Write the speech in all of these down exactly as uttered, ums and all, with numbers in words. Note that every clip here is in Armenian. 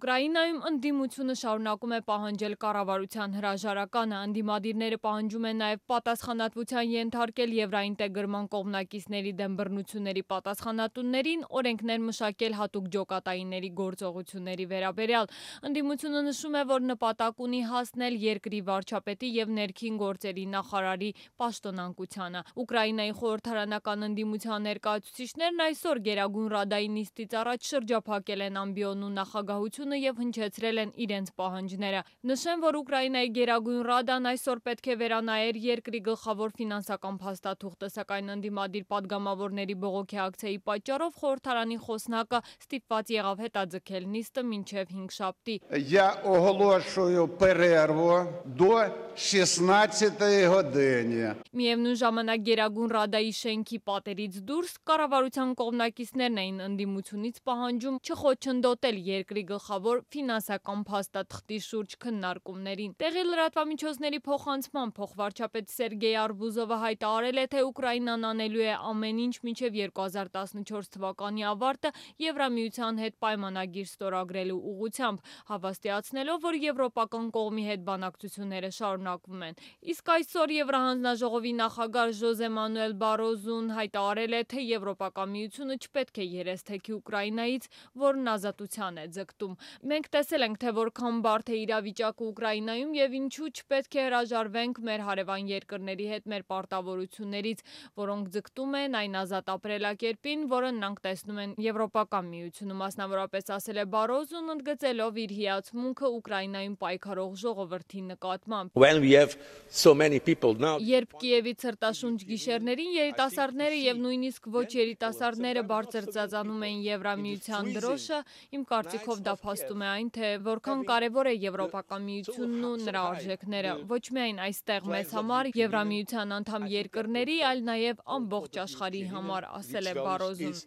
Ուկրաինայում ընդդիմությունը շարունակում է պահանջել կառավարության հրաժարականը, ընդդիմադիրները պահանջում են նաև պատասխանատվության ենթարկել եվրաինտեգրման կողմնակիցների դեմ բռնությունների պատասխանատուներին, օրենքներ մշակել հատուկ ջոկատայինների գործողությունների վերաբերյալ։ Ընդդիմությունը նշում է, որ նպատակ ունի հասնել երկրի վարչապետի և ներքին գործերի նախարարի պաշտոնանկությանը։ Ուկրաինայի խորհրդարանական ընդդիմության ներկայացուցիչներն այսօր Գերագույն ռադայի նիստից առաջ շրջափակել են ամբիոնու նախագահությունը և հնչեցրել են իրենց պահանջները։ Նշեմ, որ Ուկրաինայի Գերագույն ռադան այսօր պետք է վերանայեր երկրի գլխավոր ֆինանսական փաստաթուղթը, սակայն ընդդիմադիր պատգամավորների բողոքի ակցիայի պատճառով խորհրդարանի խոսնակը ստիպված եղավ հետաձգել նիստը մինչև հինգշաբթի։ Я оголошую перерву до шістнадцятої години. Միևնույն ժամանակ Գերագույն ռադայի շենքի պատերից դուրս կառավարության կողմնակիցներն էին ընդդիմությունից պահանջում չխոչընդոտել երկրի գլխավոր ֆինանսական փաստաթղթի շուրջ քննարկումներին։ Տեղի լրատվամիջոցների փոխանցմամբ փոխվարչապետ Սերգեյ Արբուզովը հայտարարել է, թե Ուկրաինան անելու է ամեն ինչ մինչև երկու հազար տասնչորս թվականի ավարտը Եվրամիության հետ պայմանագիր ստորագրելու ուղղությամբ, հավաստիացնելով, որ եվրոպական կողմի հետ բանակցությունները շարունակվում են։ Իսկ այսօր Եվրահանձնաժողովի նախագահ Ժոզե Մանուել Բարոզուն հայտարարել է, թե Եվրոպական միությունը չպետք է երես թեքի Ուկրաինայից, որն ազատության է ձգտում։ Մենք տեսել ենք, թե որքան բարդ է իրավիճակը Ուկրաինայում և ինչու չպետք է հրաժարվենք մեր հարևան երկրների հետ մեր պարտավորություններից, որոնք ձգտում են այն ազատ ապրելակերպին, որը նրանք տեսնում են Եվրոպական միությունում, մասնավորապես ասել է Բարոզուն, ընդգծելով իր հիացմունքը Ուկրաինայում պայքարող ժողովրդի նկատմամբ։ Երբ Կիևից հրտաշունչ գիշերներին երիտասարդները և նույնիսկ ոչ երիտասարդները բարձր ծածանում էին Եվրամիության դրոշը, իմ կարծիքով դա փաստում է այն, թե որքան կարևոր է Եվրոպական միությունն ու նրա արժեքները, ոչ միայն այստեղ մեզ համար, Եվրամիության անդամ երկրների, այլ նաև ամբողջ աշխարհի համար, ասել է Բարոզուն։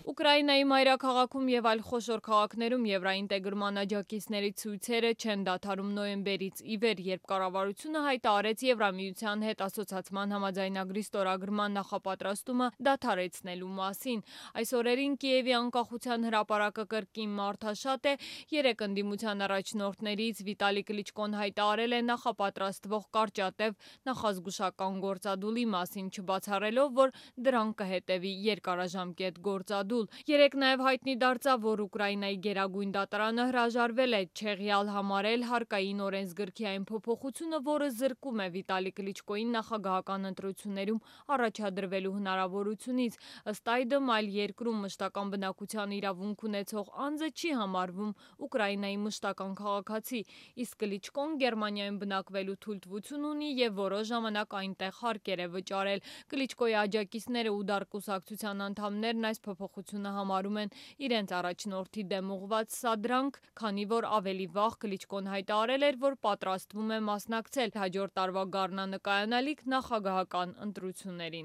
Ուկրաինայի մայրաքաղաքում և այլ խոշոր քաղաքներում եվրաինտեգրման աջակիցների ցույցերը չեն դադարում նոյեմբերից ի վեր, երբ կառավարությունը հայտարարեց Եվրամիության հետ ասոցացման համաձայնագրի ստորագրման նախապատրաստումը դադարեցնելու մասին։ Այս օրերին Կիևի անկախության հրապարակը կրկին մարդաշատ է։ Երեք ընդդիմության առաջնորդներից Վիտալի Կլիչկոն հայտարարել է նախապատրաստվող կարճատև նախազգուշական գործադուլի մասին, չբացառելով, որ դրան կհետևի երկարաժամկետ գործադուլ։ Երեկ նաև հայտնի դարձավ, որ Ուկրաինայի գերագույն դատարանը հրաժարվել է չեղյալ համարել հարկային օրենսգրքի այն փոփոխությունը, որը զրկում է Վիտալի Կլիչկոյին նախագահական ընտրություններում առաջադրվելու հնարավորությունից։ Ըստ այդմ, այլ երկրում մշտական բնակության իրավունք ունեցող անձը չի համարվում Ուկրաինայի մշտական քաղաքացի, իսկ Կլիչկոն Գերմանիայում բնակվելու թույլտվություն ունի և որոշ ժամանակ այնտեղ հարկեր է վճարել։ Կլիչկոյի աջակիցները ու դար կուսակցության անդամներն այս փոփոխությունը համարում են իրենց առաջնորդի դեմ ուղղված սադրանք, քանի որ ավելի վաղ Կլիչկոն հայտարարել էր, որ պատրաստվում է մասնակցել հաջորդ տարվա գարնանը կայանալիք նախագահական ընտրություններին։